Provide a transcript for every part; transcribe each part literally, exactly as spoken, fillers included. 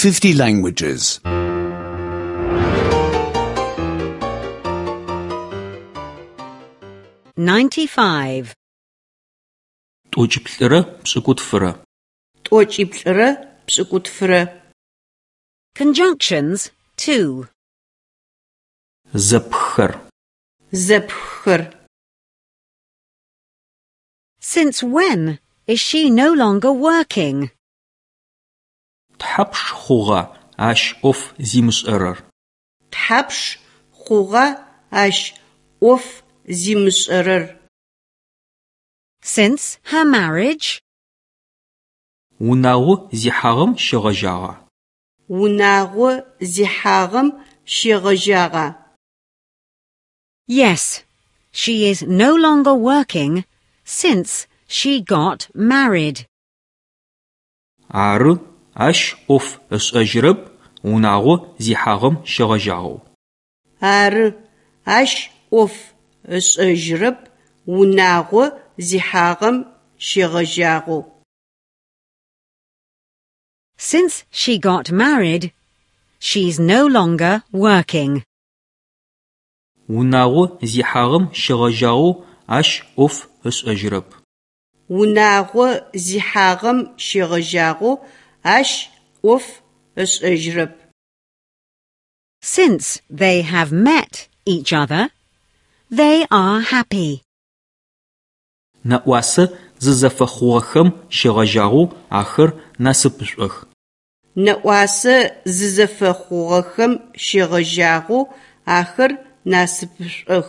fifty languages. ninety-five. Тӏокӏиплӏырэ пшӏыкӏутфырэ. Тӏокӏиплӏырэ пшӏыкӏутфырэ. Conjunctions two. Зэпххэр. Зэпххэр. Since when is she no longer working? Тхьапш хъугъа ащ ӏоф зимышӏэрэр? Тхьапш хъугъа ащ ӏоф зимышӏэрэр? Since her marriage? Унагъо зихьагъэм щегъэжьагъа? Унагъо зихьагъэм щегъэжьагъа? Yes, she is no longer working since she got married. Ары, ащ ӏоф ышӏэжьырэп унагъо зихьагъэм щегъэжьагъэу. Ары, ащ ӏоф ышӏэжьырэп унагъо зихьагъэм щегъэжьагъэу. Since she got married, she's no longer working. Унагъо зихьагъэм щегъэжьагъэу ащ ӏоф ышӏэжьырэп. Унагъо зихьагъэм щегъэжьагъэу ащ ӏоф ышӏэжьырэп. Since they have met each other, they are happy. Нэӏуасэ зызэфэхъугъэхэм щегъэжьагъэу ахэр насыпышӏох. Нэӏуасэ зызэфэхъугъэхэм щегъэжьагъэу ахэр насыпышӏох.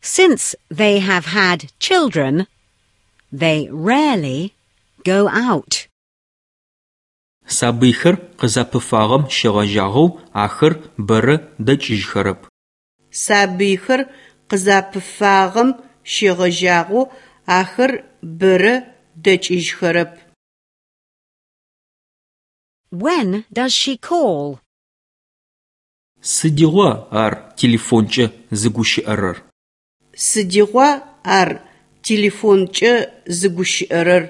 Since they have had children, they rarely go out. Сабыйхэр къызапыфагъэм щегъэжьагъэу ахэр бэрэ дэкӏыжьхэрэп. Сабыйхэр къызапыфагъэм щегъэжьагъэу ахэр бэрэ дэкӏыжьхэрэп. When does she call? Сыдигъуа ар телефонкӏэ зыгущыӏэрэр? Сыдигъуа ар телефонкӏэ зыгущыӏэрэр?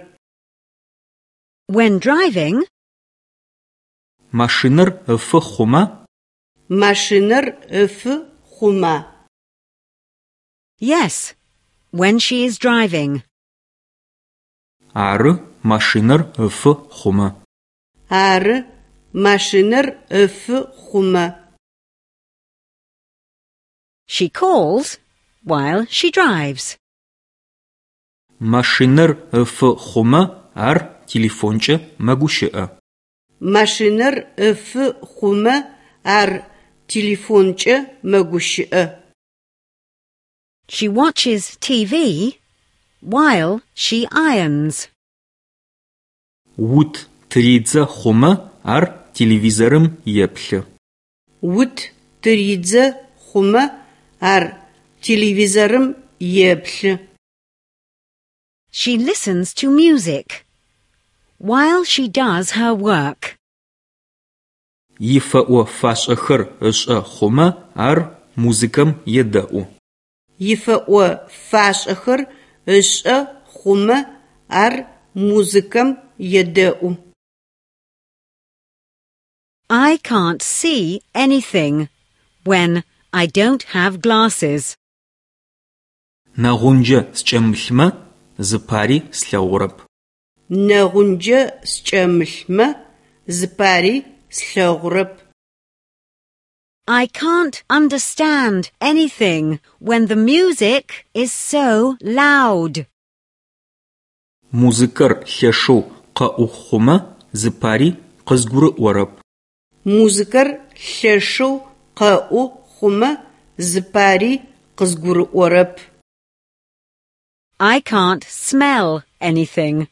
When driving? Машинэр ыфы хъумэ? Машинэр ыфы хъума? Yes, when she is driving. Ары, машинэр ыфы хъумэ. Ары, машинэр ыфы хъумэ. She calls while she drives. Машинэр ыфы хъумэ ар телефонкӏэ мэгущыӏэ. Машинэр ыфы хъумэ ар телефонкӏэ мэгущыӏэ. She watches T V while she irons. Ут тыридзэ хъумэ ар телевизорым еплъы. Ут тыридзэ хъумэ ар телевизорым еплъы. She listens to music while she does her work. Ифэӏо-фашӏэхэр ышӏэ хъумэ ар музыкэм едэӏу. Ифэӏо-фашӏэхэр ышӏэ хъумэ ар музыкэм едэӏу. I can't see anything when I don't have glasses. Нэгъунджэ скӏэмылъмэ зыпари слъэгъурэп. Нэгъунджэ скӏэмылъмэ зыпари слъэгъурэп. I can't understand anything when the music is so loud. Музыкэр лъэшэу къэӏу хъумэ зыпари къызгурыӏорэп. Музыкэр лъэшэу къэӏу хъумэ зыпари къызгурыӏорэп. I can't smell anything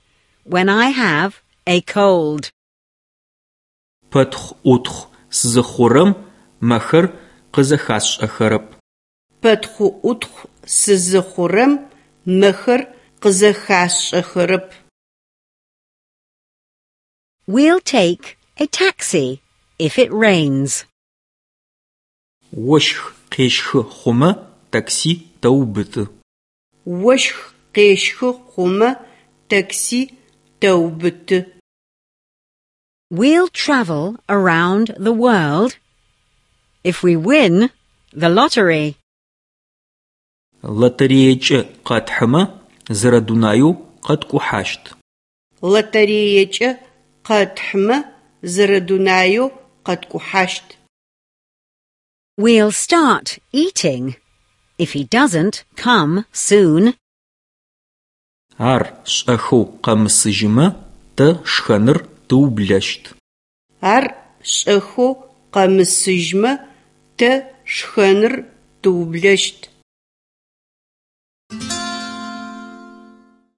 when I have a cold. Пэтхъу-ӏутхъу сызыхъурэм мэхэр къызэхасшӏэхэрэп. Пэтхъу-ӏутхъу сызыхъурэм мэхэр къызэхасшӏэхэрэп. We'll take a taxi if it rains. Ощх къещхы хъумэ такси тэубыты. Ощх къещхы хъумэ такси тэубыты. We'll travel around the world if we win the lottery. Лотереекӏэ къэтхьымэ зэрэдунаеу къэткӏухьащт. Лотереекӏэ къэтхьымэ зэрэдунаеу къэткӏухьащт. We'll start eating if he doesn't come soon. Ар шӏэхэу къэмысыжьымэ тэ шхэныр тыублэщт. Ар шӏэхэу къэмысыжьмэ тэ шхэныр тыублэщт.